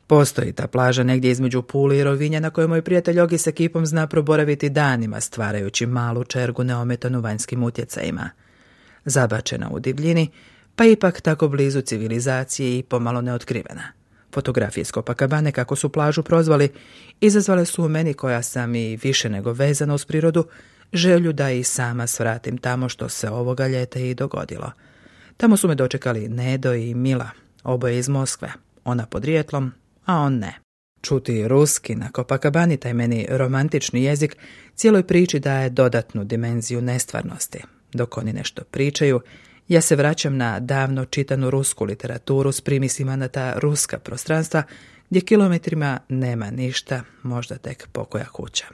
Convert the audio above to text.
Postoji ta plaža negdje između Pule i Rovinja na kojoj moj prijatelj Ogi s ekipom zna proboraviti danima stvarajući malu čergu neometanu vanjskim utjecajima. Zabačena u divljini, pa ipak tako blizu civilizacije i pomalo neotkrivena. Fotografije iz Copacabane, kako su plažu prozvali, izazvale su u meni, koja sam i više nego vezana uz prirodu, želju da i sama svratim tamo, što se ovoga ljeta i dogodilo. Tamo su me dočekali Nedo i Mila, oboje iz Moskve, ona podrijetlom, a on ne. Čuti ruski na Copacabani, taj meni romantični jezik, cijeloj priči daje dodatnu dimenziju nestvarnosti. Dok oni nešto pričaju, ja se vraćam na davno čitanu rusku literaturu s primisima na ta ruska prostranstva, gdje kilometrima nema ništa, možda tek pokoja kuća.